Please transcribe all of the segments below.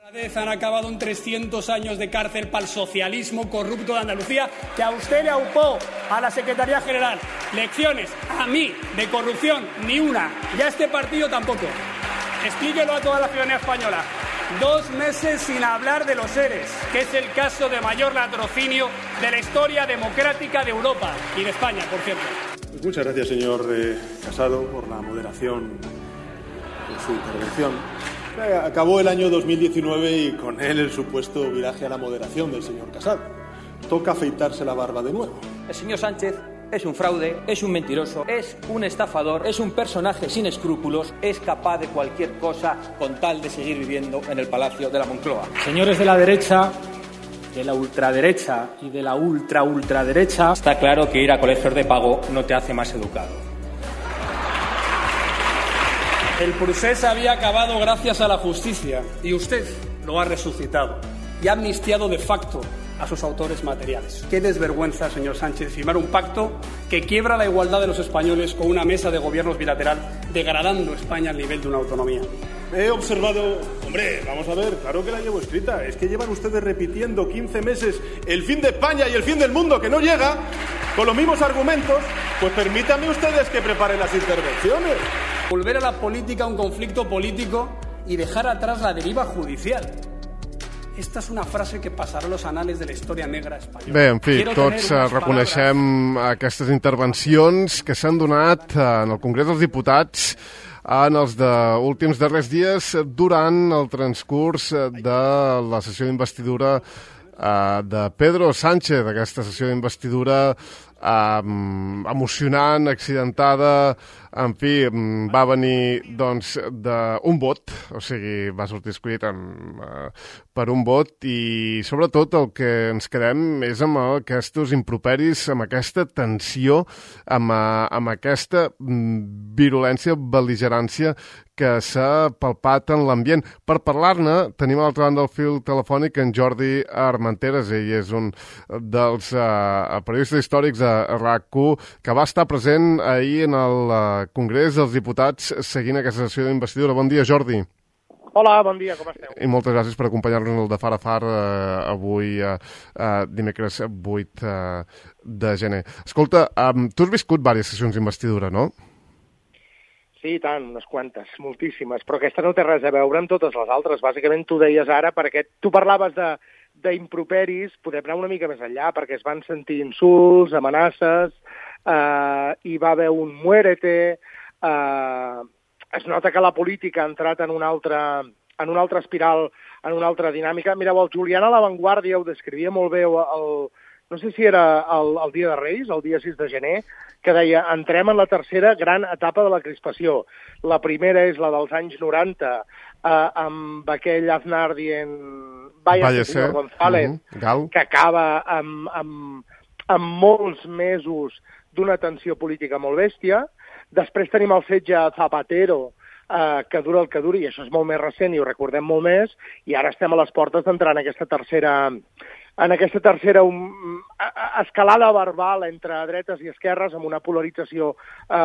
Han acabado en 300 años de cárcel para el socialismo corrupto de Andalucía, que a usted le aupó a la Secretaría General. Lecciones a mí de corrupción, ni una. Y a este partido tampoco. Explíquelo a toda la ciudadanía española. 2 meses sin hablar de los ERES, que es el caso de mayor latrocinio de la historia democrática de Europa y de España, por cierto. Pues muchas gracias, señor Casado, por la moderación de su intervención. Acabó el año 2019 y con él el supuesto viraje a la moderación del señor Casado. Toca afeitarse la barba de nuevo. El señor Sánchez es un fraude, es un mentiroso, es un estafador, es un personaje sin escrúpulos, es capaz de cualquier cosa con tal de seguir viviendo en el Palacio de la Moncloa. Señores de la derecha, de la ultraderecha y de la ultraderecha, está claro que ir a colegios de pago no te hace más educado. El procés había acabado gracias a la justicia y usted lo ha resucitado y ha amnistiado de facto a sus autores materiales. Qué desvergüenza, señor Sánchez, firmar un pacto que quiebra la igualdad de los españoles con una mesa de gobiernos bilateral, degradando España al nivel de una autonomía. He observado... Hombre, vamos a ver, claro que la llevo escrita. Es que llevan ustedes repitiendo 15 meses el fin de España y el fin del mundo que no llega, con los mismos argumentos. Pues permítanme ustedes que preparen las intervenciones. Volver a la política a un conflicto político y dejar atrás la deriva judicial. Esta és una frase que passarà a los anales de la història negra espanyola. Bé, en fi, tots reconeixem aquestes intervencions que s'han donat en el Congrés dels Diputats en els últims darrers dies durant el transcurs de la sessió d'investidura de Pedro Sánchez, aquesta sessió d'investidura emocionant, accidentada, en fi, va venir doncs d'un vot, o sigui, va sortir escollit per un vot i sobretot el que ens quedem és amb aquests improperis, amb aquesta tensió, amb aquesta virulència, bel·ligerància que s'ha palpat en l'ambient. Per parlar-ne, tenim a l'altra banda del fil telefònic en Jordi Armenteres. Ell és un dels periodistes històrics a RAC1 que va estar present ahir en el Congrés dels Diputats seguint aquesta sessió d'investidura. Bon dia, Jordi. Hola, bon dia, com esteu? I moltes gràcies per acompanyar-nos en el de Far a Far avui, dimecres 8 de gener. Escolta, tu has viscut diverses sessions d'investidura, no? Sí, tant, unes quantes, moltíssimes, però aquesta no té res a veure amb totes les altres. Bàsicament tu deies ara, perquè tu parlaves d'improperis, podem anar una mica més enllà, perquè es van sentir insults, amenaces, hi va haver un muérete, es nota que la política ha entrat en una altra espiral, en una altra dinàmica. Mireu, el Julián a La Vanguardia ho descrivia molt bé, no sé si era el dia de Reis, el dia 6 de gener, que deia, entrem en la tercera gran etapa de la crispació. La primera és la dels anys 90, amb aquell Aznar dient vaya senyor González, que acaba amb molts mesos d'una tensió política molt bèstia. Després tenim el setge a Zapatero, que dura el que duri, i això és molt més recent i ho recordem molt més, i ara estem a les portes d'entrar en aquesta tercera escalada verbal entre dretes i esquerres amb una polarització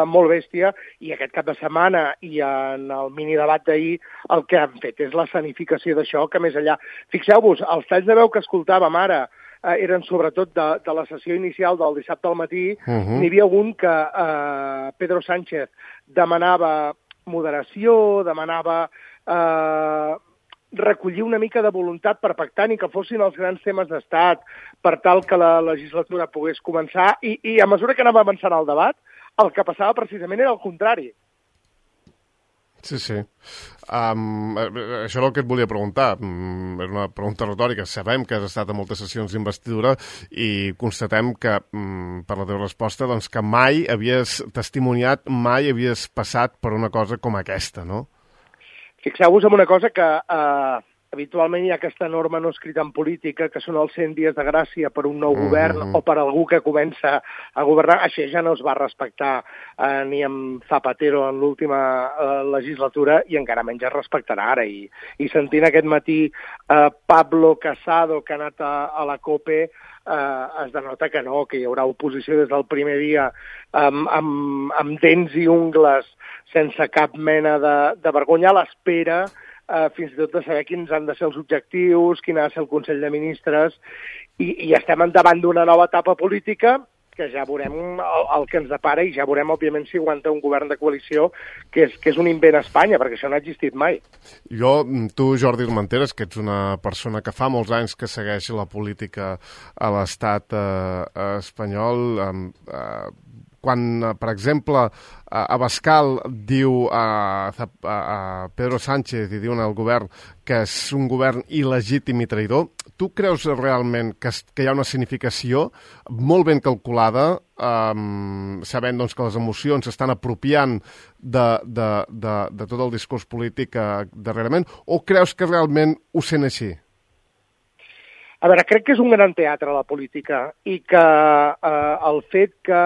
molt bèstia, i aquest cap de setmana i en el minidebat d'ahir el que han fet és l'escenificació d'això, que més enllà... Fixeu-vos, els talls de veu que escoltàvem ara eren sobretot de la sessió inicial del dissabte al matí. N'hi havia un que Pedro Sánchez demanava moderació, demanava recollir una mica de voluntat per pactar ni que fossin els grans temes d'estat per tal que la legislatura pogués començar, i a mesura que anava avançant el debat, el que passava precisament era el contrari. Sí, sí. Això és el que et volia preguntar. És una pregunta retòrica. Sabem que has estat a moltes sessions d'investidura i constatem que, per la teva resposta, doncs que mai havies testimoniat, mai havies passat per una cosa com aquesta, no? Fixeu-vos en una cosa que habitualment hi ha aquesta norma no escrita en política, que són els 100 dies de gràcia per un nou govern o per algú que comença a governar. Això ja no es va respectar ni amb Zapatero en l'última legislatura i encara menys es respectarà ara. I sentint aquest matí Pablo Casado, que ha anat a la COPE, es denota que no, que hi haurà oposició des del primer dia amb dents i ungles, sense cap mena de vergonya, a l'espera fins i tot de saber quins han de ser els objectius, quin ha de ser el Consell de Ministres, i estem davant d'una nova etapa política que ja veurem el que ens depara i ja veurem, òbviament, si aguanta un govern de coalició, que és un invent a Espanya, perquè això no ha existit mai. Tu, Jordi Armenteres, que ets una persona que fa molts anys que segueix la política a l'estat espanyol, quan, per exemple, Abascal diu a Pedro Sánchez i diuen al govern que és un govern il·legítim i traïdor, tu creus realment que hi ha una significació molt ben calculada, sabent doncs, que les emocions s'estan apropiant de tot el discurs polític darrerament, o creus que realment ho sent així? A veure, crec que és un gran teatre la política i que el fet que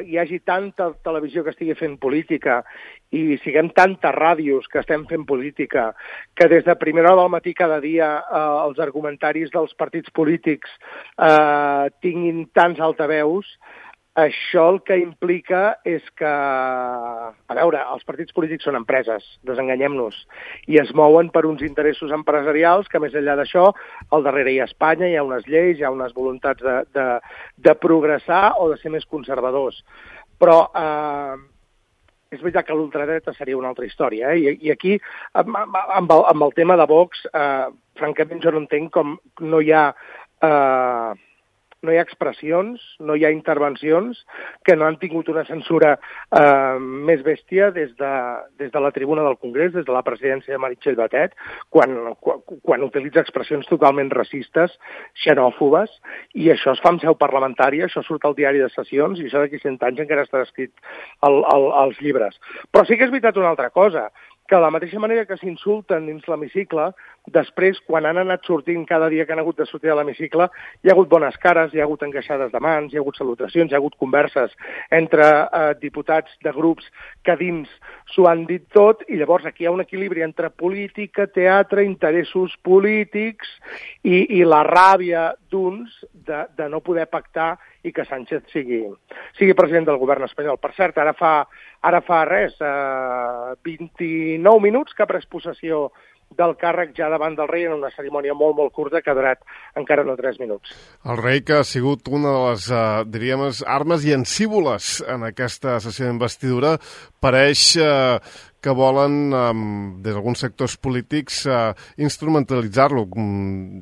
hi hagi tanta televisió que estigui fent política i siguem tantes ràdios que estem fent política, que des de primera hora del matí cada dia els argumentaris dels partits polítics tinguin tants altaveus, això el que implica és que, a veure, els partits polítics són empreses, desenganyem-nos, i es mouen per uns interessos empresarials que, més enllà d'això, al darrere hi ha Espanya, hi ha unes lleis, hi ha unes voluntats de progressar o de ser més conservadors. Però és veritat que l'ultradreta seria una altra història, i aquí, amb el tema de Vox, francament jo no entenc com no hi ha expressions, no hi ha intervencions que no han tingut una censura més bèstia des de la tribuna del Congrés, des de la presidència de Meritxell Batet, quan utilitza expressions totalment racistes, xenòfobes, i això es fa en seu parlamentària, això surt al diari de sessions, i això d'aquí 100 anys encara està escrit als llibres. Però sí que és veritat una altra cosa, que de la mateixa manera que s'insulten dins l'hemicicle, després, quan han anat sortint cada dia que han hagut de sortir de l'hemicicle, hi ha hagut bones cares, hi ha hagut encaixades de mans, hi ha hagut salutacions, hi ha hagut converses entre diputats de grups que dins s'ho han dit tot, i llavors aquí hi ha un equilibri entre política, teatre, interessos polítics i la ràbia d'uns de no poder pactar i que Sánchez sigui president del govern espanyol. Per cert, ara fa res, 29 minuts que ha pres possessió del càrrec ja davant del rei en una cerimònia molt, molt curta que ha durat encara no 3 minuts. El rei, que ha sigut una de les, diríem, armes llancívoles en aquesta sessió d'investidura, pareix que volen, des d'alguns sectors polítics, instrumentalitzar-lo.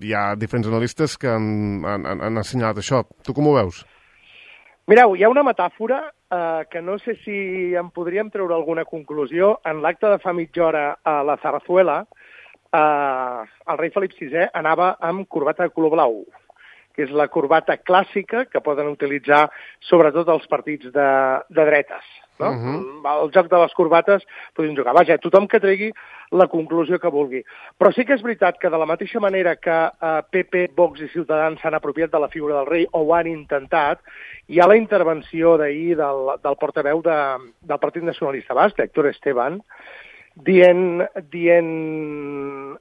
Hi ha diferents analistes que han assenyalat això. Tu com ho veus? Mireu, hi ha una metàfora que no sé si en podríem treure alguna conclusió. En l'acte de fa mitja hora a la Zarzuela, el rei Felip VI anava amb corbata de color blau, que és la corbata clàssica que poden utilitzar sobretot els partits de dretes. No? El joc de les corbates podem jugar. Vaja, tothom que tregui la conclusió que vulgui. Però sí que és veritat que de la mateixa manera que PP, Vox i Ciutadans s'han apropiat de la figura del rei o ho han intentat, hi ha la intervenció d'ahir del portaveu del Partit Nacionalista Basc, Héctor Esteban, dient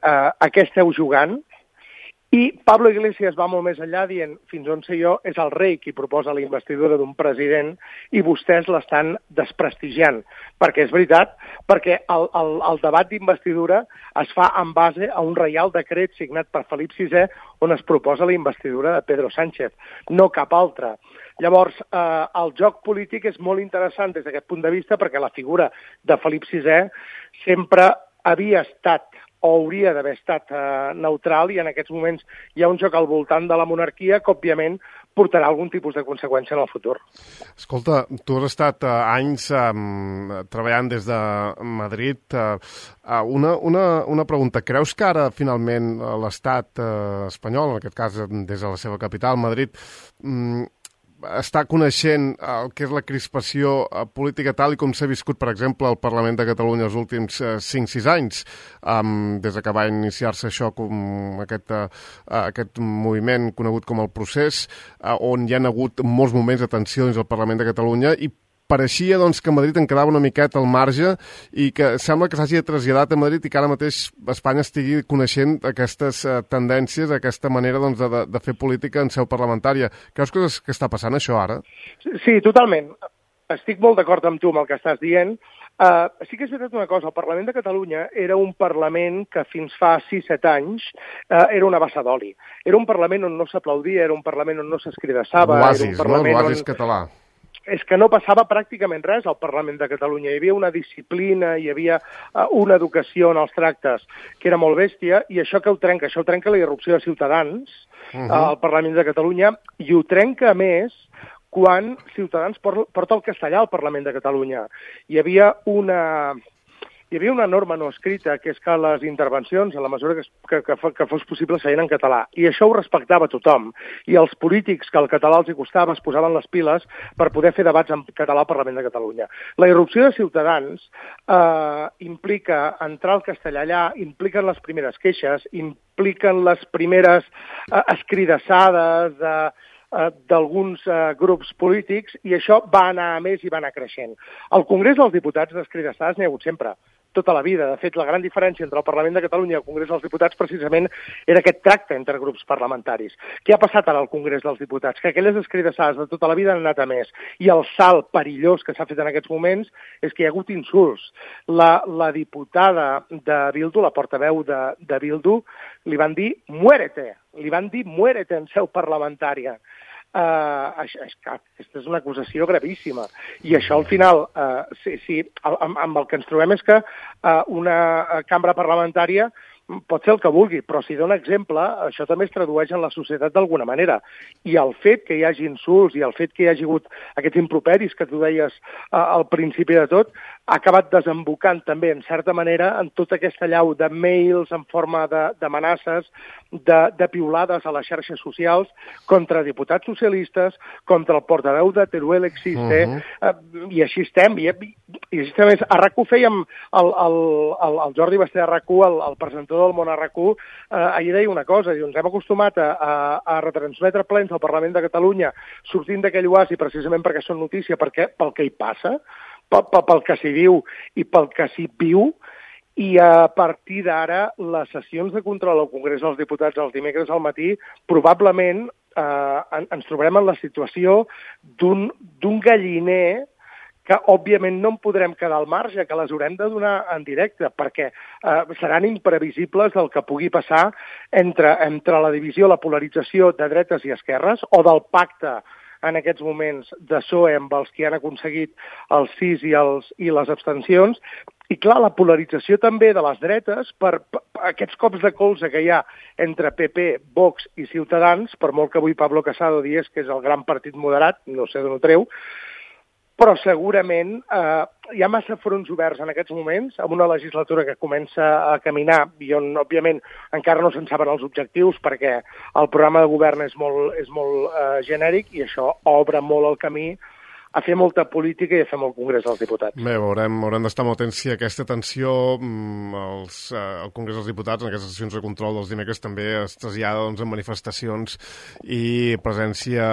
a què esteu jugant, i Pablo Iglesias va molt més enllà dient, fins on sé jo, és el rei qui proposa la investidura d'un president i vostès l'estan desprestigiant. Perquè és veritat, perquè el debat d'investidura es fa en base a un reial decret signat per Felip VI on es proposa la investidura de Pedro Sánchez, no cap altre. Llavors, el joc polític és molt interessant des d'aquest punt de vista perquè la figura de Felip VI sempre havia estat o hauria d'haver estat neutral i en aquests moments hi ha un joc al voltant de la monarquia que, òbviament, portarà algun tipus de conseqüència en el futur. Escolta, tu has estat anys treballant des de Madrid. Una pregunta. Creus que ara, finalment, l'estat espanyol, en aquest cas des de la seva capital, Madrid, està coneixent el que és la crispació política tal i com s'ha viscut, per exemple, al Parlament de Catalunya els últims 5-6 anys, des que va iniciar-se això, com aquest moviment conegut com el procés, on hi ha hagut molts moments de tensió dins del Parlament de Catalunya i pareixia doncs, que Madrid en quedava una miqueta al marge i que sembla que s'hagi traslladat a Madrid i que ara mateix Espanya estigui coneixent aquestes tendències, aquesta manera doncs, de fer política en seu parlamentària. Creus que està passant això ara? Sí, totalment. Estic molt d'acord amb tu amb el que estàs dient. Sí que és veritat una cosa, el Parlament de Catalunya era un Parlament que fins fa 6-7 anys era una bassa d'oli. Era un Parlament on no s'aplaudia, era un Parlament on no s'escridassava. L'oasis, no? L'oasis català. És que no passava pràcticament res al Parlament de Catalunya. Hi havia una disciplina, hi havia una educació en els tractes que era molt bèstia, i això que ho trenca? Això ho trenca la irrupció de Ciutadans al Parlament de Catalunya, i ho trenca, a més, quan Ciutadans porta el castellà al Parlament de Catalunya. Hi havia una norma no escrita, que és que les intervencions, en la mesura que fos possible, seien en català. I això ho respectava tothom. I els polítics, que el català els hi costava, es posaven les piles per poder fer debats en català al Parlament de Catalunya. La irrupció de Ciutadans implica entrar al castellà allà, impliquen les primeres queixes, impliquen les primeres escridassades d'alguns grups polítics, i això va anar a més i va anar creixent. Al Congrés dels Diputats d'escridassades n'hi ha hagut sempre, tota la vida. De fet, la gran diferència entre el Parlament de Catalunya i el Congrés dels Diputats precisament era aquest tracte entre grups parlamentaris. Què ha passat ara al Congrés dels Diputats? Que aquelles escridassades de tota la vida han anat a més. I el salt perillós que s'ha fet en aquests moments és que hi ha hagut insults. La diputada de Bildu, la portaveu de Bildu, li van dir «muérete», li van dir «muérete» en seu parlamentària. Aquesta és una acusació gravíssima. I això, al final, amb el que ens trobem és que una cambra parlamentària pot ser el que vulgui, però si dona exemple, això també es tradueix en la societat d'alguna manera. I el fet que hi hagi insults i el fet que hi hagi hagut aquests improperis que tu deies al principi de tot, ha acabat desembocant també, en certa manera, en tota aquesta llau de mails en forma d'amenaces, de piulades a les xarxes socials contra diputats socialistes, contra el portaveu de Teruel Existe, i així estem. I així estem. A RAC1 fèiem el Jordi Basté de RAC1, el presentador del món a RAC1, ahir deia una cosa, ens hem acostumat a retransmetre plens al Parlament de Catalunya sortint d'aquell oasi precisament perquè són notícia, pel que hi passa, pel que s'hi diu i pel que s'hi viu, i a partir d'ara les sessions de control al Congrés dels Diputats els dimecres al matí probablement ens trobarem en la situació d'un galliner que, òbviament, no en podrem quedar al marge, que les haurem de donar en directe, perquè seran imprevisibles del que pugui passar entre la divisió, la polarització de dretes i esquerres, o del pacte en aquests moments de PSOE amb els que han aconseguit els sis i les abstencions, i clar, la polarització també de les dretes per aquests cops de colze que hi ha entre PP, Vox i Ciutadans, per molt que avui Pablo Casado digués que és el gran partit moderat, no sé d'on ho treu, però segurament hi ha massa fronts oberts en aquests moments, amb una legislatura que comença a caminar i on, òbviament, encara no se'n saben els objectius perquè el programa de govern és molt genèric, i això obre molt el camí a fer molta política i a fer molt Congrés dels Diputats. Bé, haurem d'estar molt atents si aquesta tensió al Congrés dels Diputats, en aquestes sessions de control dels dimecres, també es trasllada en manifestacions i presència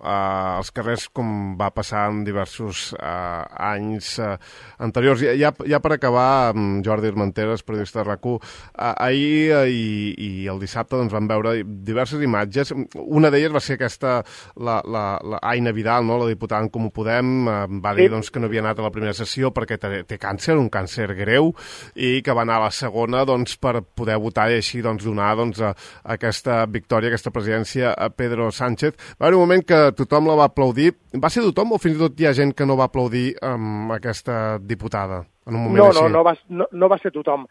als carrers, com va passar en diversos anys anteriors. Ja per acabar, Jordi Armenteres, periodista de RAC1, ahir i el dissabte vam veure diverses imatges. Una d'elles va ser aquesta, la Aina Vidal, la diputada en Comú Podem, va dir que no havia anat a la primera sessió perquè té càncer, un càncer greu, i que va anar a la segona per poder votar i així donar aquesta victòria, aquesta presidència a Pedro Sánchez. Va haver un moment que tothom la va aplaudir. Va ser tothom o fins i tot hi ha gent que no va aplaudir aquesta diputada? No va ser tothom.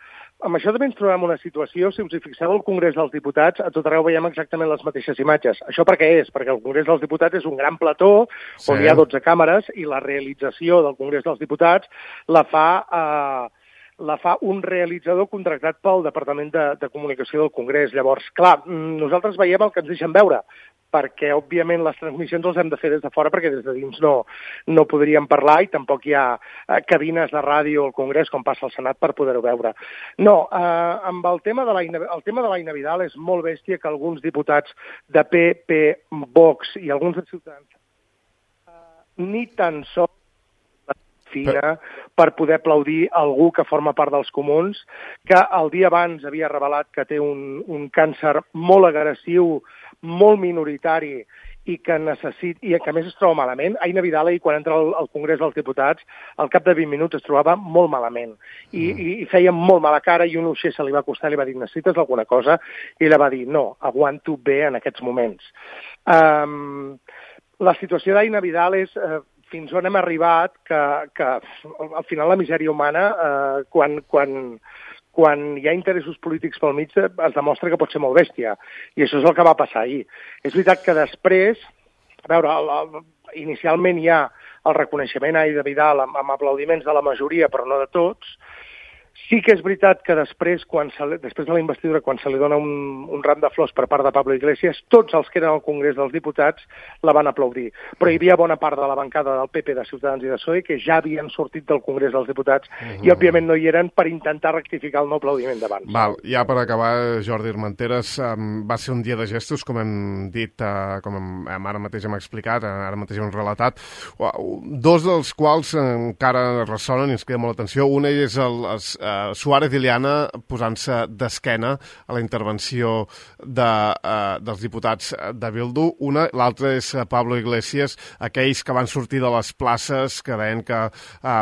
Amb això també ens trobem una situació, si us hi fixeu, al Congrés dels Diputats, a tot arreu veiem exactament les mateixes imatges. Això per què és? Perquè el Congrés dels Diputats és un gran plató on hi ha 12 càmeres i la realització del Congrés dels Diputats la fa un realitzador contractat pel Departament de Comunicació del Congrés. Llavors, clar, nosaltres veiem el que ens deixen veure, perquè, òbviament, les transmissions les hem de fer des de fora perquè des de dins no podríem parlar i tampoc hi ha cabines de ràdio al Congrés, com passa al Senat, per poder-ho veure. No, amb el tema de l'Aina Vidal és molt bèstia que alguns diputats de PP, Vox i alguns de Ciutadans ni tan sols fina per poder aplaudir algú que forma part dels comuns, que el dia abans havia revelat que té un càncer molt agressiu, molt minoritari, i que a més es troba malament. Aina Vidal, quan entra al Congrés dels Diputats, al cap de 20 minuts es trobava molt malament i feia molt mala cara, i un uixer se li va acostar i li va dir: necessites alguna cosa? I ella va dir: no, aguanto bé en aquests moments. La situació d'Aina Vidal és fins on hem arribat, que al final la misèria humana, quan hi ha interessos polítics pel mig, es demostra que pot ser molt bèstia. I això és el que va passar ahir. És veritat que després, a veure, inicialment hi ha el reconeixement a Aina Vidal amb aplaudiments de la majoria, però no de tots. Sí que és veritat que després de la investidura, quan se li dona un ram de flors per part de Pablo Iglesias, tots els que eren al Congrés dels Diputats la van aplaudir. Però hi havia bona part de la bancada del PP, de Ciutadans i de PSOE, que ja havien sortit del Congrés dels Diputats i, òbviament, no hi eren per intentar rectificar el no aplaudiment d'abans. Val, ja per acabar, Jordi Armenteres, va ser un dia de gestos, com hem dit, com ara mateix hem explicat, ara mateix hem relatat, dos dels quals encara ressonen i ens queda molt atenció. Una és Suárez i Liana posant-se d'esquena a la intervenció dels diputats de Bildu. L'altra és Pablo Iglesias, aquells que van sortir de les places, que deien que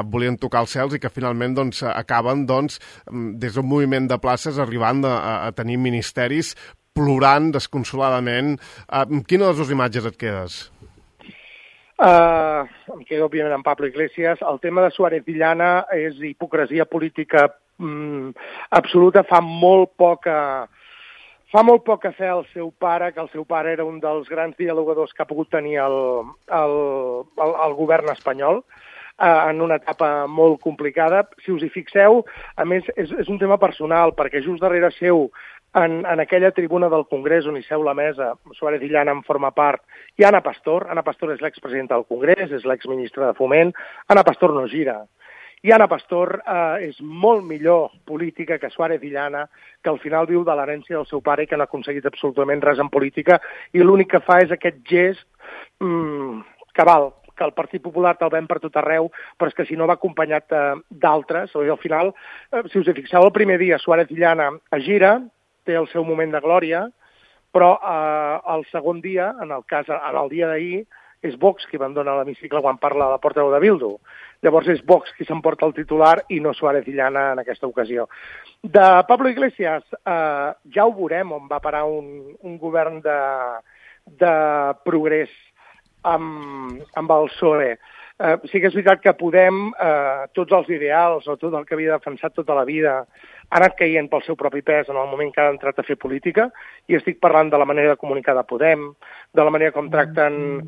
volien tocar els cels i que finalment acaben des d'un moviment de places arribant a tenir ministeris, plorant desconsoladament. Quina de les dues imatges et quedes? Em quedo, òbviament, amb Pablo Iglesias. El tema de Suárez i Liana és hipocresia política absoluta. Fa molt poc a fer el seu pare, que el seu pare era un dels grans dialogadors que ha pogut tenir el govern espanyol en una etapa molt complicada. Si us hi fixeu, a més, és un tema personal, perquè just darrere seu, en aquella tribuna del Congrés on hi seu la mesa, Suárez i Liana en forma part, i Ana Pastor. Ana Pastor és l'expresidenta del Congrés, és l'exministra de Foment. Ana Pastor no gira. I Ana Pastor és molt millor política que Suárez i Liana, que al final viu de l'herència del seu pare i que no ha aconseguit absolutament res en política, i l'únic que fa és aquest gest que el Partit Popular te'l ven per tot arreu, però és que si no va acompanyat d'altres. Al final, si us hi fixeu, el primer dia Suárez i Liana es gira, té el seu moment de glòria, però el segon dia, en el dia d'ahir, és Vox qui abandona l'hemicicle quan parla de la portaveu de Bildu. Llavors és Vox qui s'emporta el titular i no Suárez i Liana en aquesta ocasió. De Pablo Iglesias, ja ho veurem on va parar un govern de progrés amb el PSOE. Sí que és veritat que Podem, tots els ideals o tot el que havia defensat tota la vida, ha anat caient pel seu propi pes en el moment que ha entrat a fer política, i estic parlant de la manera de comunicar de Podem, de la manera com tracten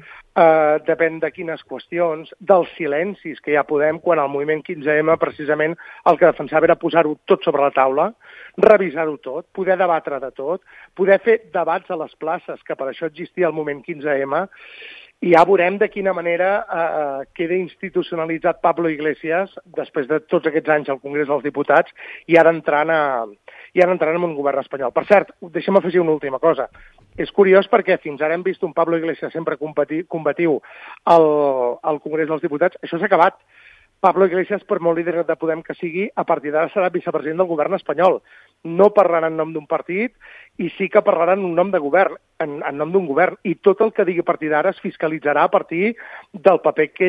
depèn de quines qüestions, dels silencis que hi ha Podem, quan el moviment 15M precisament el que defensava era posar-ho tot sobre la taula, revisar-ho tot, poder debatre de tot, poder fer debats a les places, que per això existia el moviment 15M, i ja veurem de quina manera queda institucionalitzat Pablo Iglesias després de tots aquests anys al Congrés dels Diputats i ara entrant en un govern espanyol. Per cert, deixa'm afegir una última cosa. És curiós perquè fins ara hem vist un Pablo Iglesias sempre combatiu al Congrés dels Diputats. Això s'ha acabat. Pablo Iglesias, per molt líder de Podem que sigui, a partir d'ara serà vicepresident del govern espanyol. No parlarà en nom d'un partit i sí que parlarà en nom de govern, en nom d'un govern. I tot el que digui a partir d'ara es fiscalitzarà a partir del paper que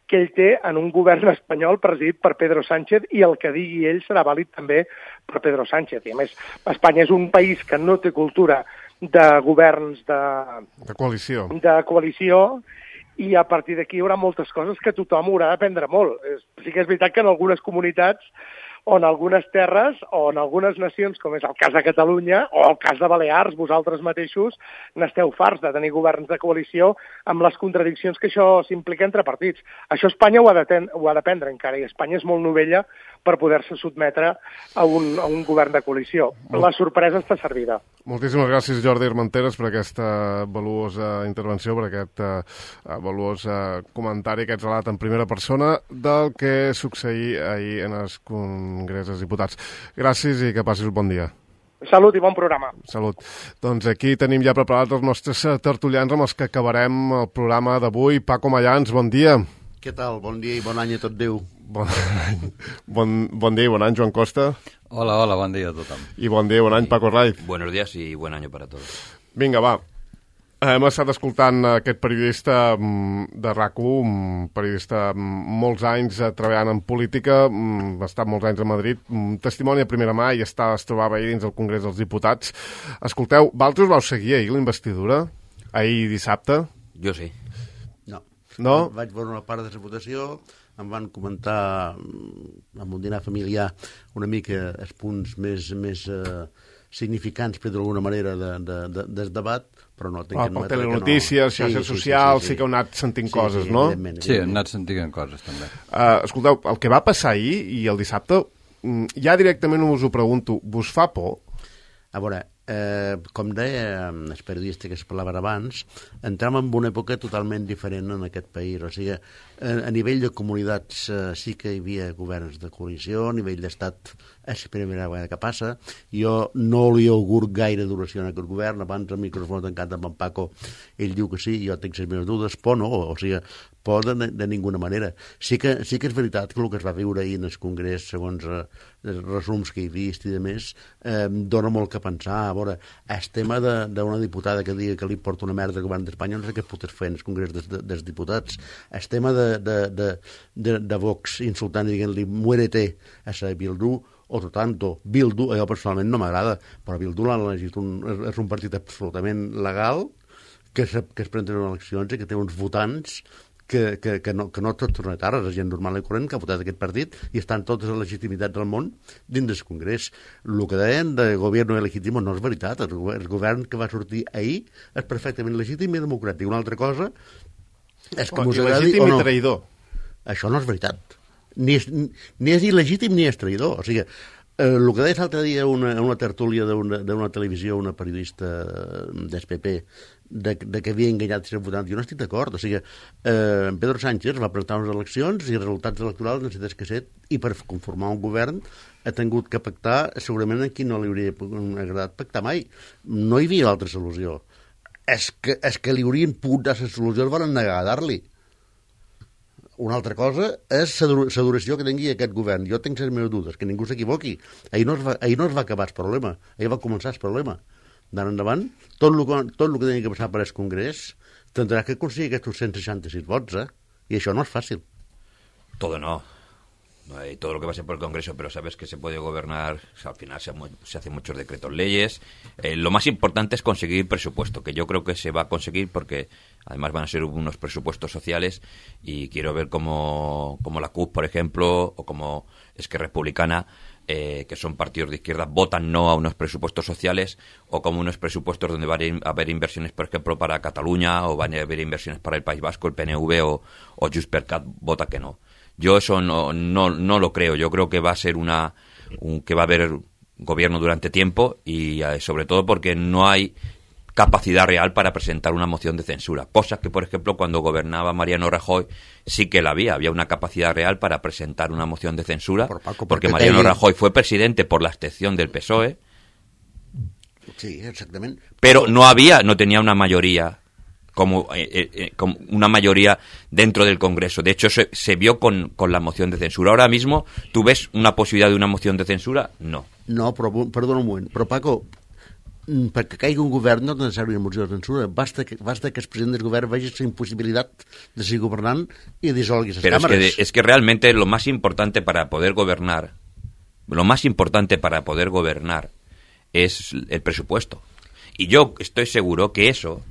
ell té en un govern espanyol presidit per Pedro Sánchez, i el que digui ell serà vàlid també per Pedro Sánchez. I a més, Espanya és un país que no té cultura de governs de coalició, i a partir d'aquí hi haurà moltes coses que tothom haurà d'aprendre molt. Sí que és veritat que en algunes comunitats o en algunes terres o en algunes nacions, com és el cas de Catalunya o el cas de Balears, vosaltres mateixos n'esteu farts de tenir governs de coalició amb les contradiccions que això s'implica entre partits. Això Espanya ho ha d'aprendre encara, i Espanya és molt novella per poder-se sotmetre a un govern de coalició. La sorpresa està servida. Moltíssimes gràcies, Jordi Armenteres, per aquesta valuosa intervenció, per aquest valuós comentari, aquest relat en primera persona del que succeïa ahir en el Congrés dels Diputats. Gràcies i que passis un bon dia. Salut i bon programa. Salut. Doncs aquí tenim ja preparats els nostres tertulians amb els que acabarem el programa d'avui. Paco Mayans, bon dia. Què tal? Bon dia i bon any a tot Déu. Bon dia i bon any, Joan Costa. Hola, bon dia a tothom. I bon dia i bon any, Paco Raiz. Buenos días y buen año para todos. Vinga, va. Hem estat escoltant aquest periodista de RAC1, un periodista molts anys treballant en política, ha estat molts anys a Madrid, testimoni a primera mà i es trobava ahir dins el Congrés dels Diputats. Escolteu, vosaltres vau seguir ahir la investidura? Ahir dissabte? Jo sí. No? Vaig veure una part de la votació, em van comentar amb un dinar familiar una mica els punts més significants, per d'alguna manera, del debat, però no tinc per telenotícies, xarxes socials, sí que heu anat sentint coses, no? Sí, hem anat sentint coses, també. Escolteu, el que va passar ahir i el dissabte, ja directament us ho pregunto, vos fa por? A veure, com deia el periodista que es parlava abans, entrem en una època totalment diferent en aquest país. O sigui, a nivell de comunitats sí que hi havia governs de coalició, a nivell d'estat és la primera vegada que passa. Jo no li augur gaire duració en aquest govern. Abans el micròfon tancat amb en Paco, ell diu que sí, jo tinc les meves dudes, por no, o sigui, por de ninguna manera. Sí que és veritat que el que es va viure ahir en el Congrés, segons els resums que he vist i de més, dona molt que pensar. A veure, el tema d'una diputada que digui que li porta una merda al govern d'Espanya, no sé què pot fer en el Congrés dels Diputats. El tema de Vox insultant i dient-li muérete a la Bildu, o tanto, Bildu, allò personalment no m'agrada, però Bildu l'han elegit, és un partit absolutament legal, que es presenta en eleccions i que té uns votants que no tots són etarres, la gent normal i corrent que ha votat aquest partit i estan totes les legitimitats del món dins del Congrés. El que deien de govern legítim no és veritat. El govern que va sortir ahir és perfectament legítim i democràtic. Una altra cosa és que us agradi o no. I traïdor. Això no és veritat. Ni és il·legítim ni és traïdor. O sigui, el que deia l'altre dia una tertúlia d'una televisió, una periodista del PP, de que havia enganyat els votants, jo no estic d'acord. O sigui, Pedro Sánchez va presentar unes eleccions i els resultats electorals necessites que ser, i per conformar un govern ha tingut que pactar segurament amb qui no li hauria agradat pactar mai. No hi havia altra solució. És que li haurien pogut dar la solució, el van negar a dar-li. Una altra cosa és la duració que tingui aquest govern. Jo tinc les meves dudes, que ningú s'equivoqui. Ahir no es va acabar el problema, ahir va començar el problema. D'ara endavant, tot el que tenia que passar per el Congrés tindrà que aconseguir aquests 166 vots, i això no és fàcil. Todo no hay todo lo que pase por el Congreso, pero sabes que se puede gobernar, o sea, al final se hacen muchos decretos leyes. Lo más importante es conseguir presupuesto, que yo creo que se va a conseguir porque además van a ser unos presupuestos sociales y quiero ver como la CUP, por ejemplo, o como Esquerra Republicana, que son partidos de izquierda, votan no a unos presupuestos sociales, o como unos presupuestos donde van a haber inversiones, por ejemplo, para Cataluña, o van a haber inversiones para el País Vasco, el PNV o Junts per Cat vota que no. Yo eso no lo creo. Yo creo que va a ser que va a haber gobierno durante tiempo y sobre todo porque no hay capacidad real para presentar una moción de censura. Cosas que, por ejemplo, cuando gobernaba Mariano Rajoy sí que la había. Había una capacidad real para presentar una moción de censura porque Mariano Rajoy fue presidente por la excepción del PSOE. Sí, exactamente. Pero no tenía una mayoría como una mayoría dentro del Congreso. De hecho, se vio con la moción de censura. Ahora mismo, ¿tú ves una posibilidad de una moción de censura? No. No, però, perdona un moment, però Paco, perquè caigui un govern no és necessari una moció de censura, basta que el president del govern vegi la impossibilitat de seguir governant i dissolgui les càmeres. Es que realmente lo más importante para poder gobernar es el presupuesto. Y yo estoy seguro que eso,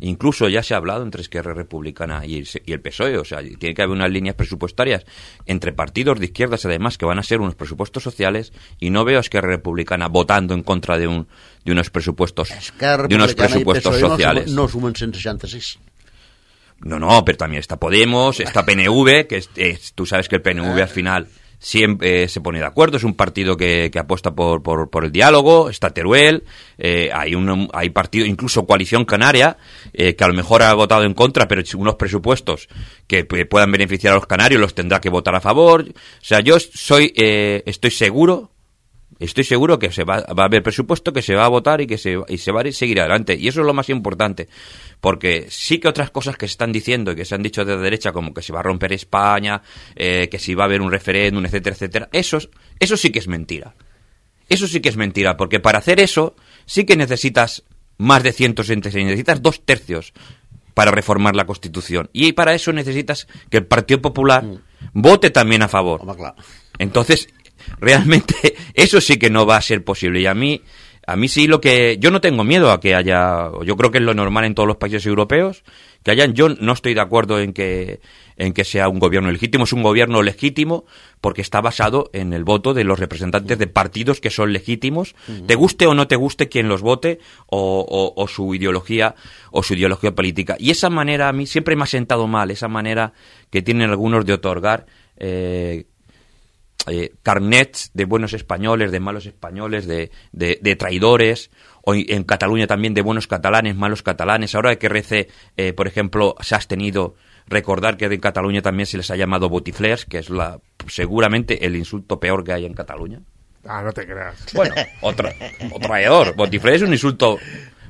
incluso ya se ha hablado entre Esquerra Republicana y el PSOE, o sea, tiene que haber unas líneas presupuestarias entre partidos de izquierdas, además, que van a ser unos presupuestos sociales, y no veo a Esquerra Republicana votando en contra de unos presupuestos sociales. No sumen 166. No, pero también está Podemos, está PNV, tú sabes que el PNV al final siempre se pone de acuerdo, es un partido que apuesta por el diálogo, está Teruel, hay partido, incluso Coalición Canaria, que a lo mejor ha votado en contra, pero unos presupuestos que puedan beneficiar a los canarios los tendrá que votar a favor. O sea, yo estoy seguro que va a haber presupuesto, que se va a votar y se va a seguir adelante. Y eso es lo más importante, porque sí que otras cosas que se están diciendo y que se han dicho de derecha, como que se va a romper España, que si va a haber un referéndum, etcétera, etcétera, eso sí que es mentira. Eso sí que es mentira, porque para hacer eso sí que necesitas más de 166, necesitas 2 tercios para reformar la Constitución. Y para eso necesitas que el Partido Popular vote también a favor. Home, clar. Entonces, realmente, eso sí que no va a ser posible. Y a mí sí yo no tengo miedo a que haya, yo creo que es lo normal en todos los países europeos, que hayan, yo no estoy de acuerdo en que sea un gobierno legítimo, es un gobierno legítimo porque está basado en el voto de los representantes de partidos que son legítimos, te guste o no te guste quien los vote o su ideología política. Y esa manera a mí siempre me ha sentado mal, esa manera que tienen algunos de otorgar carnets de buenos españoles, de malos españoles, de traidores, o en Cataluña también de buenos catalanes, malos catalanes. Ahora que Rece, por ejemplo, se ha abstenido, recordar que en Cataluña también se les ha llamado botiflers, que es seguramente el insulto peor que hay en Cataluña. Ah, no te creas. Bueno, o traidor. Botifler és un insulto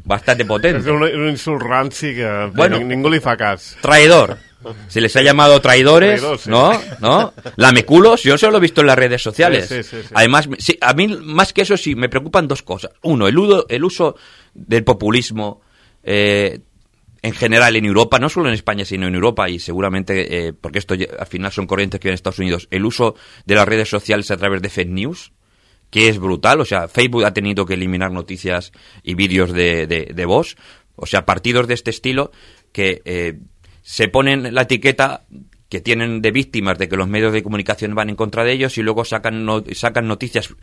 bastante potente. És un insult ranci que bueno, ningú li fa cas. Traidor. Se les ha llamado traidores, sí. ¿no? Lameculos, yo solo lo he visto en las redes sociales. Sí. Además, sí, a mí más que eso sí, me preocupan 2 cosas. Uno, el uso del populismo en general en Europa, no solo en España, sino en Europa, y seguramente, porque esto al final son corrientes que hay en Estados Unidos, el uso de las redes sociales a través de fake news, que es brutal. O sea, Facebook ha tenido que eliminar noticias y vídeos de voz. O sea, partidos de este estilo que se ponen la etiqueta que tienen de víctimas de que los medios de comunicación van en contra de ellos y luego sacan noticias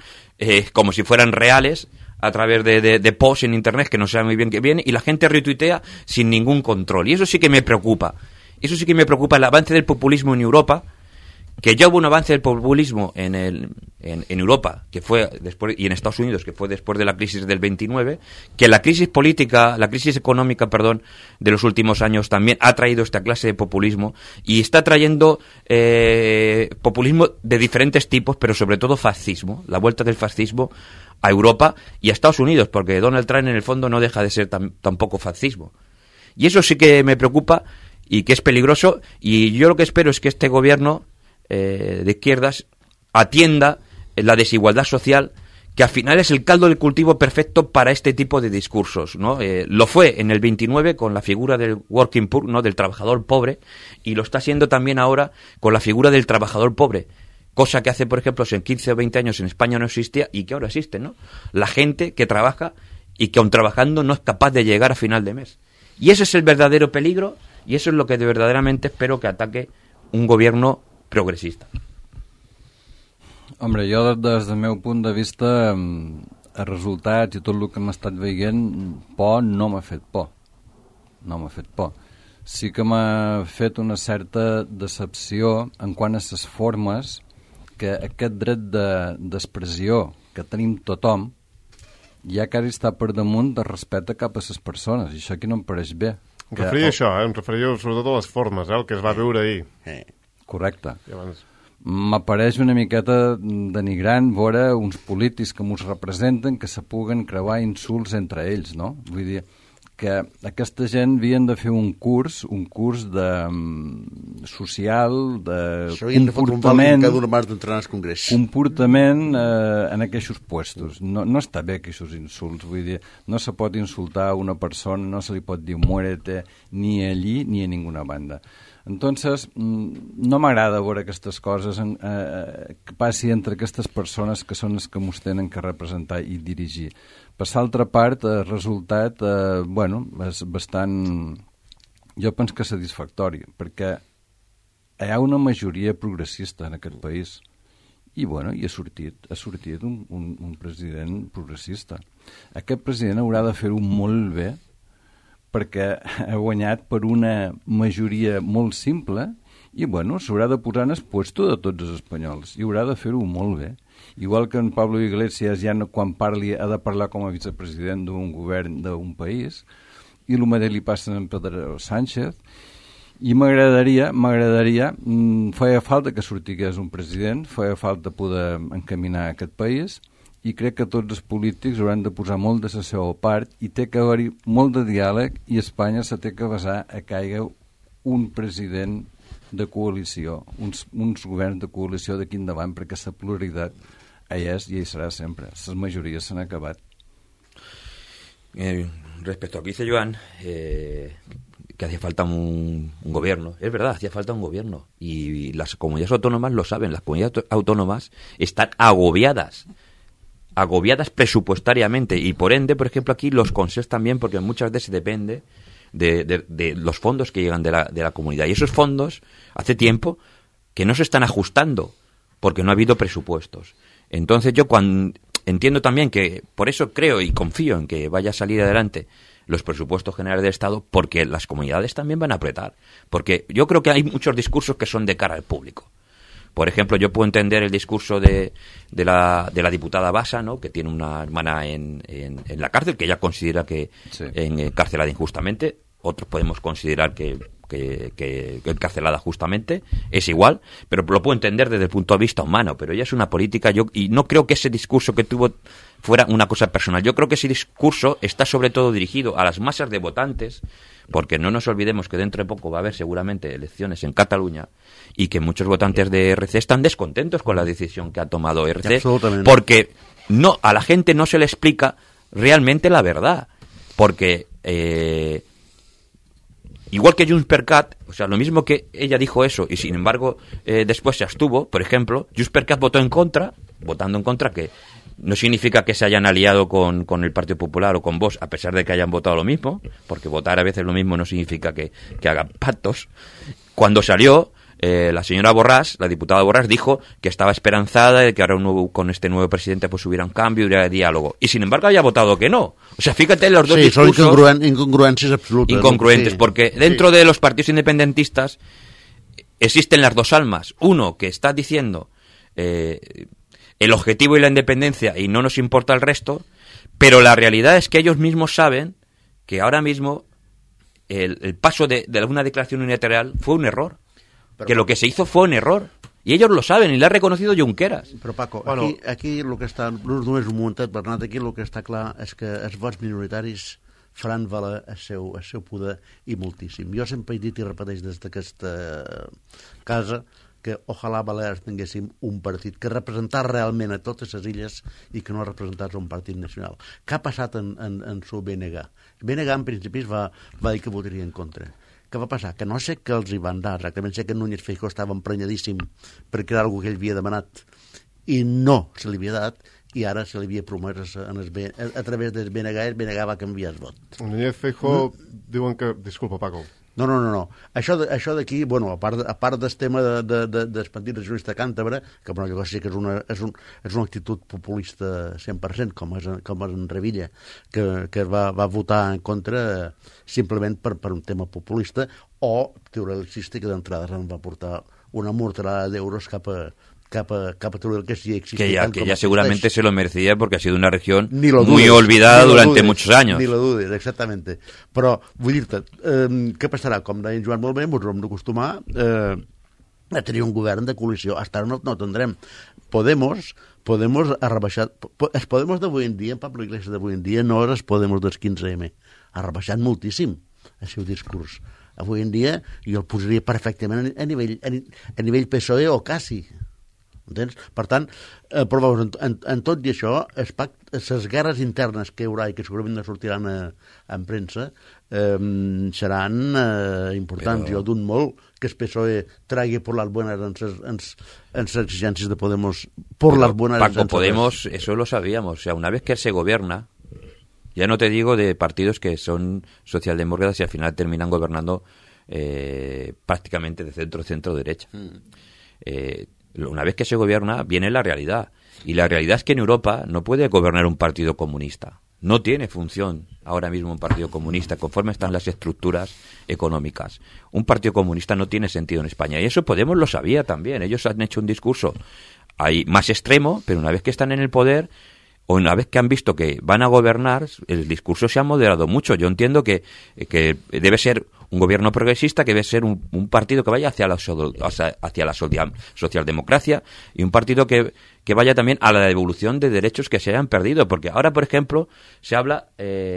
como si fueran reales a través de posts en internet que no saben muy bien qué viene, y la gente retuitea sin ningún control. Y eso sí que me preocupa. Eso sí que me preocupa, el avance del populismo en Europa, que ya hubo un avance del populismo en Europa, que fue después, y en Estados Unidos, que fue después de la crisis del 29, que la crisis económica, de los últimos años también ha traído esta clase de populismo, y está trayendo populismo de diferentes tipos, pero sobre todo fascismo, la vuelta del fascismo a Europa y a Estados Unidos, porque Donald Trump en el fondo no deja de ser tampoco fascismo. Y eso sí que me preocupa y que es peligroso, y yo lo que espero es que este gobierno de izquierdas atienda la desigualdad social, que al final es el caldo de cultivo perfecto para este tipo de discursos, ¿no? Lo fue en el 29 con la figura del working poor, ¿no? Del trabajador pobre, y lo está haciendo también ahora con la figura del trabajador pobre, cosa que hace, por ejemplo, en 15 o 20 años en España no existía y que ahora existe, ¿no? La gente que trabaja y que aun trabajando no es capaz de llegar a final de mes. Y ese es el verdadero peligro, y eso es lo que verdaderamente espero que ataque un gobierno progressista. Hombre, jo des del meu punt de vista, els resultats i tot el que hem estat veient, por no m'ha fet por. No m'ha fet por. Sí que m'ha fet una certa decepció en quant a les formes, que aquest dret d'expressió que tenim tothom ja quasi està per damunt de respecte cap a les persones, i això aquí no em pareix bé. Em referia a això, em referia sobretot a les formes, el que es va veure ahir. Correcte. M'apareix una miqueta denigrant veure uns polítics que ens representen que se puguen creuar insults entre ells, no? Vull dir que aquesta gent havien de fer un curs de social, de comportament en aquests puestos. No està bé aquests insults, vull dir, no se pot insultar a una persona, no se li pot dir muérete ni allí ni a ninguna banda. Entonces, no m'agrada veure aquestes coses que passi entre aquestes persones que són les que ens tenen que representar i dirigir. Per l'altra part, el resultat, és bastant, jo penso que satisfactori, perquè hi ha una majoria progressista en aquest país i ha sortit un president progressista. Aquest president haurà de fer-ho molt bé, perquè ha guanyat per una majoria molt simple i, s'haurà de posar en el puesto de tots els espanyols i haurà de fer-ho molt bé. Igual que en Pablo Iglesias ja quan parli ha de parlar com a vicepresident d'un govern d'un país, i el mateix li passa a Pedro Sánchez, i m'agradaria, feia falta que sortigués un president, feia falta poder encaminar aquest país, i crec que tots els polítics hauran de posar molt de la seva part i té que haver-hi molt de diàleg, i Espanya se té que basar a que hi hagi un president de coalició, uns governs de coalició d'aquí endavant, perquè la pluralitat hi és i hi serà sempre. Les majories s'han acabat. respecto a lo que dice Joan, que hacía falta un gobierno. Es verdad, hacía falta un gobierno. Y las comunidades autónomas lo saben. Las comunidades autónomas están agobiadas presupuestariamente. Y por ende, por ejemplo, aquí los consejos también, porque muchas veces depende de los fondos que llegan de la comunidad. Y esos fondos, hace tiempo, que no se están ajustando, porque no ha habido presupuestos. Entonces yo entiendo también que, por eso creo y confío en que vaya a salir adelante los presupuestos generales del Estado, porque las comunidades también van a apretar. Porque yo creo que hay muchos discursos que son de cara al público. Por ejemplo, yo puedo entender el discurso de la diputada Basa, ¿no?, que tiene una hermana en la cárcel, que ella considera que encarcelada injustamente. Otros podemos considerar que encarcelada justamente, es igual, pero lo puedo entender desde el punto de vista humano. Pero ella es una política, y no creo que ese discurso que tuvo fuera una cosa personal. Yo creo que ese discurso está sobre todo dirigido a las masas de votantes, porque no nos olvidemos que dentro de poco va a haber seguramente elecciones en Cataluña y que muchos votantes de RC están descontentos con la decisión que ha tomado RC, porque a la gente no se le explica realmente la verdad, porque igual que JxCat, o sea, lo mismo que ella dijo eso y sin embargo después se abstuvo, por ejemplo, JxCat votando en contra, que no significa que se hayan aliado con el Partido Popular o con Vox, a pesar de que hayan votado lo mismo, porque votar a veces lo mismo no significa que hagan pactos. Cuando salió, la señora Borràs, la diputada Borràs, dijo que estaba esperanzada de que ahora con este nuevo presidente pues hubiera un cambio, hubiera diálogo. Y sin embargo había votado que no. O sea, fíjate los dos discursos. Son incongruencias absolutas. Incongruentes, porque dentro de los partidos independentistas existen las dos almas. Uno que está diciendo el objetivo y la independencia y no nos importa el resto, pero la realidad es que ellos mismos saben que ahora mismo el paso de una declaración unilateral fue un error. Que lo que se hizo fue un error. I ells lo saben, i l'ha reconocido Junqueras. Però Paco, aquí el que està, només un momentet, Bernat, aquí el que està clar és que els vots minoritaris faran valer el seu poder i moltíssim. Jo sempre he dit i repeteix des d'aquesta casa que ojalà Balears tinguéssim un partit que representar realment a totes les illes i que no representés un partit nacional. Què ha passat en su BNG? BNG en principi va dir que votaria en contra. Què va passar? Que no sé què els hi van dar, exactament sé que Núñez Feijóo estava emprenyadíssim perquè era algo que ell havia demanat i no se li havia dat, i ara se li havia promès a través del BNG, el BNG va canviar el vot. Núñez Feijóo diuen que... Disculpa, Paco. No. Això d'aquí, bueno, a part del tema del Partit Regionalista Càntabre, que bueno, jo sé que és una actitud populista 100%, com és en Revilla, que va votar en contra simplement per un tema populista, o teoricista, que d'entrada se'n va portar una morterada d'euros cap a todo el que sí existe. Que ya seguramente se lo merecía porque ha sido una región muy olvidada durante muchos años. Ni lo dudes, exactamente. Però, vull dir-te, què passarà? Com deia en Joan molt bé, ens hem d'acostumar a tenir un govern de coalició. Hasta ara no tindrem. Podemos ha rebaixat... Els Podemos d'avui en dia, en Pablo Iglesias d'avui en dia, no és els Podemos dels 15M. Ha rebaixat moltíssim el seu discurs. Avui en dia jo el posaria perfectament a nivell PSOE o quasi. Entens? Per tant, però en tot i això, les guerres internes que hi haurà i que segurament no sortiran en premsa seran importants. Jo d'un molt que el PSOE tragui por las buenas en las exigencias de Podemos por las buenas. Paco, Podemos, eso lo sabíamos. O sea, una vez que se gobierna, ya no te digo de partidos que son socialdemócratas y al final terminan gobernando prácticamente de centro-derecha. Una vez que se gobierna, viene la realidad. Y la realidad es que en Europa no puede gobernar un partido comunista. No tiene función ahora mismo un partido comunista, conforme están las estructuras económicas. Un partido comunista no tiene sentido en España. Y eso Podemos lo sabía también. Ellos han hecho un discurso ahí más extremo, pero una vez que están en el poder, o una vez que han visto que van a gobernar, el discurso se ha moderado mucho. Yo entiendo que debe ser un gobierno progresista, que debe ser un partido que vaya hacia la socialdemocracia, y un partido que que vaya también a la devolución de derechos que se hayan perdido, porque ahora, por ejemplo, se habla,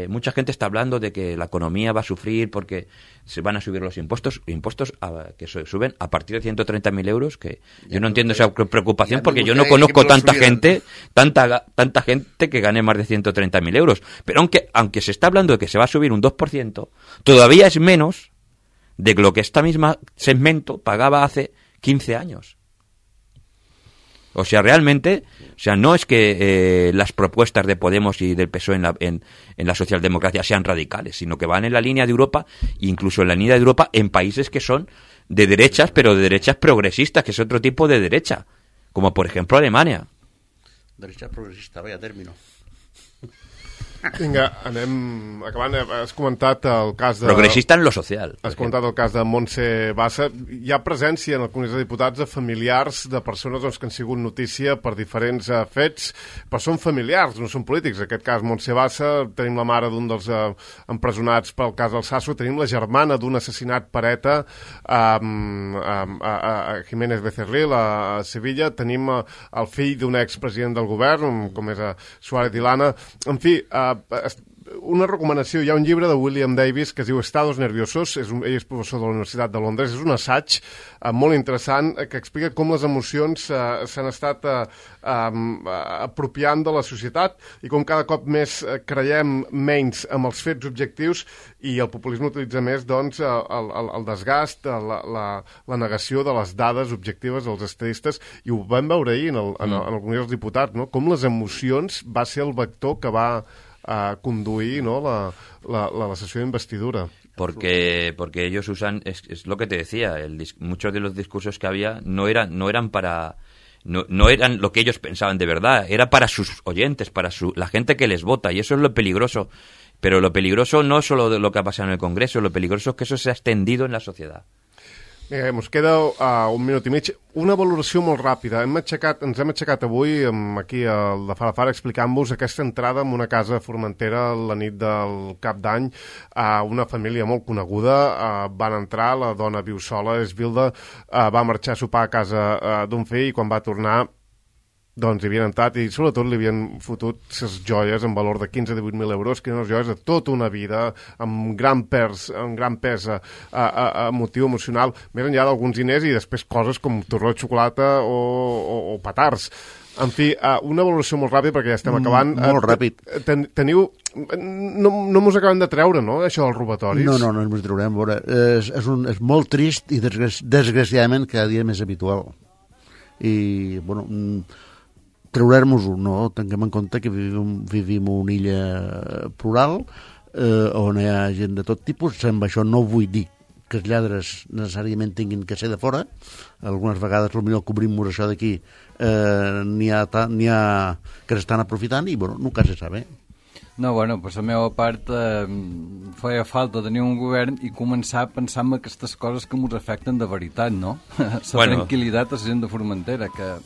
mucha gente está hablando de que la economía va a sufrir porque se van a subir los impuestos que suben a partir de 130.000 euros, que yo no entiendo esa preocupación, porque yo no conozco tanta gente que gane más de 130.000 euros, pero aunque se está hablando de que se va a subir un 2%, todavía es menos de lo que esta misma segmento pagaba hace 15 años. O sea, realmente, no es que las propuestas de Podemos y del PSOE en la socialdemocracia sean radicales, sino que van en la línea de Europa, incluso en la línea de Europa en países que son de derechas, pero de derechas progresistas, que es otro tipo de derecha, como por ejemplo Alemania. Derecha progressista, vaya término. Vinga, anem acabant. Has comentat el cas de... Progressista en lo social. Has comentat el cas de Montse Bassa. Hi ha presència en el Congrés de Diputats de familiars de persones que han sigut notícia per diferents fets, però són familiars, no són polítics. En aquest cas, Montse Bassa, tenim la mare d'un dels empresonats pel cas Alsasu, tenim la germana d'un assassinat per ETA a Jiménez Becerril, a Sevilla, tenim el fill d'un expresident del govern, com és Suárez Dilana. En fi, una recomanació, hi ha un llibre de William Davis que es diu Estados Nerviosos, ell és professor de la Universitat de Londres, és un assaig molt interessant que explica com les emocions s'han estat apropiant de la societat i com cada cop més creiem menys amb els fets objectius i el populisme utilitza més doncs el desgast, la negació de les dades objectives dels estadistes, i ho vam veure ahir en el Congrés dels Diputats, no? Com les emocions va ser el vector que va conduir, ¿no?, la sesión de investidura. Porque ellos usan, es lo que te decía, muchos de los discursos que había no eran lo que ellos pensaban de verdad, era para sus oyentes, para la gente que les vota, y eso es lo peligroso. Pero lo peligroso no es solo de lo que ha pasado en el Congreso, lo peligroso es que eso se ha extendido en la sociedad. Ens queda un minut i mig. Una valoració molt ràpida. Ens hem aixecat avui aquí al de Farafara explicant-vos aquesta entrada en una casa a Formentera la nit del Cap d'Any. Una família molt coneguda van entrar, la dona viu sola, és viuda, va marxar a sopar a casa d'un fill i quan va tornar doncs hi havien entrat i sobretot li havien fotut ses joies en valor de 15-18.000 euros, que eren unes joies de tota una vida, amb gran pes emotiu, emocional, més enllà d'alguns diners i després coses com torró de xocolata o petards. En fi, una valoració molt ràpida perquè ja estem acabant. Molt ràpid. Teniu... No mos acabem de treure, no?, això dels robatoris? No ens traurem. És molt trist i desgraciadament cada dia més habitual. I, bueno... treure-nos-ho, no? Tinguem en compte que vivim una illa plural on hi ha gent de tot tipus. Amb això no vull dir que els lladres necessàriament tinguin que ser de fora. Algunes vegades potser cobrim-nos això d'aquí, n'hi ha que s'estan aprofitant i, bueno, nunca se sabe. No, bueno, per la meva part feia falta tenir un govern i començar a pensar en aquestes coses que ens afecten de veritat, no? La tranquil·litat a la gent de Formentera, que...